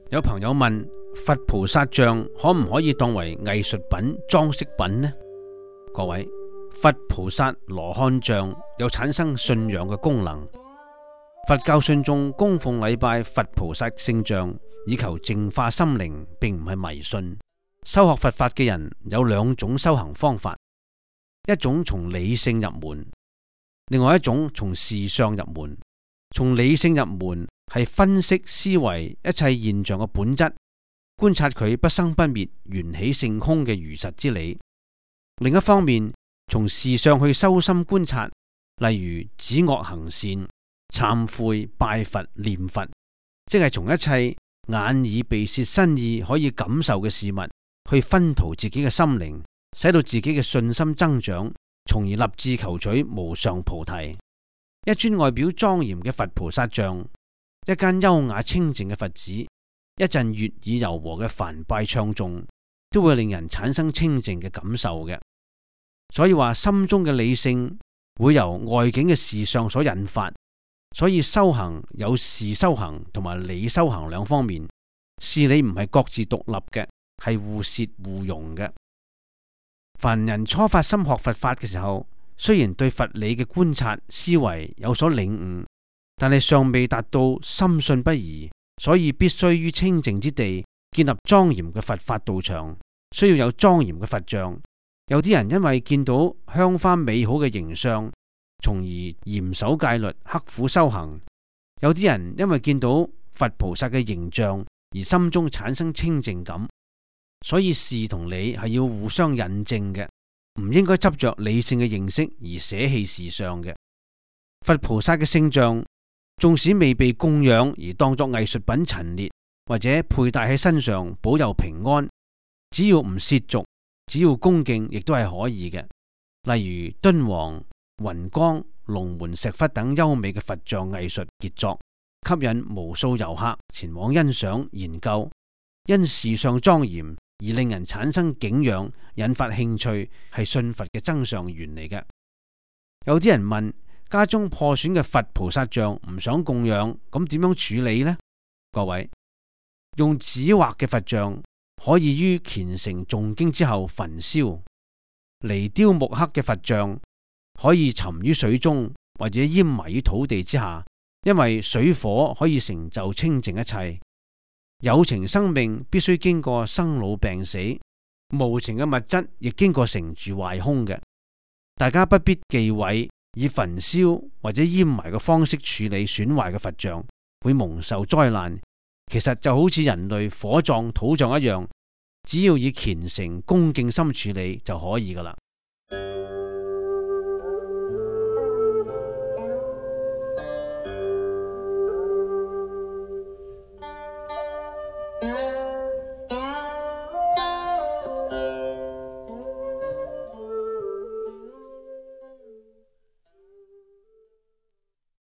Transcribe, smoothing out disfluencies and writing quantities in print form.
有朋友問，佛菩薩像可唔可以當為藝術品、裝飾品呢？各位，佛菩薩羅漢像有產生信仰嘅功能。佛教信眾供奉禮拜佛菩薩聖像，以求淨化心靈，並唔係迷信。修學佛法嘅人有兩種修行方法，一種從理性入門，另外一種從事相入門。從理性入門係分析思維一切現象嘅本質，觀察佢不生不滅、緣起性空嘅如實之理。另一方面，從事相去修心觀察，例如止惡行善、懺悔、拜佛、念佛，即係從一切眼耳鼻舌身意可以感受嘅事物去熏陶自己嘅心靈，使到自己嘅信心增長，從而立志求取無上菩提。一尊外表莊嚴嘅佛菩薩像，一間優雅清靜嘅佛寺，一陣悅耳柔和嘅梵唄唱誦，都會令人產生清靜嘅感受嘅。所以話心中嘅理性會由外境嘅事相所引發，所以修行有事修行同埋理修行兩方面，事理唔係各自獨立嘅，係互攝互融嘅。凡人初發心學佛法嘅時候，雖然對佛理嘅觀察思維有所領悟，但係尚未達到深信不疑，所以必須於清靜之地建立莊嚴嘅佛法道場，需要有莊嚴嘅佛像。有啲人因為見到香花美好嘅形象，從而嚴守戒律，刻苦修行；有啲人因為見到佛菩薩嘅形象而心中產生清靜感。所以事同理係要互相印證嘅，唔應該執着理性嘅認識而捨棄事相嘅。佛菩薩嘅聖像，縱使未被供養而當作藝術品陳列，或者佩戴喺身上保佑平安，只要唔褻瀆，只要恭敬，亦都係可以嘅。例如敦煌、雲岡、龍門石窟等優美嘅佛像藝術傑作，吸引無數遊客前往欣賞研究，因事相莊嚴而令人產生景仰，引發興趣，係信佛嘅增上緣嚟嘅。有啲人問，家中破損嘅佛菩薩像唔想供養，咁點樣處理呢？各位，用紙畫嘅佛像可以於虔誠誦經之後焚燒；泥雕木刻嘅佛像可以沉於水中，或者淹埋於土地之下，因為水火可以成就清淨一切。有情生命必須經過生老病死，無情嘅物質亦經過成住壞空嘅。大家不必忌諱以焚燒或者淹埋嘅方式處理損壞嘅佛像，會蒙受災難。其實就好似人類火葬、土葬一樣，只要以虔誠恭敬心處理就可以噶啦。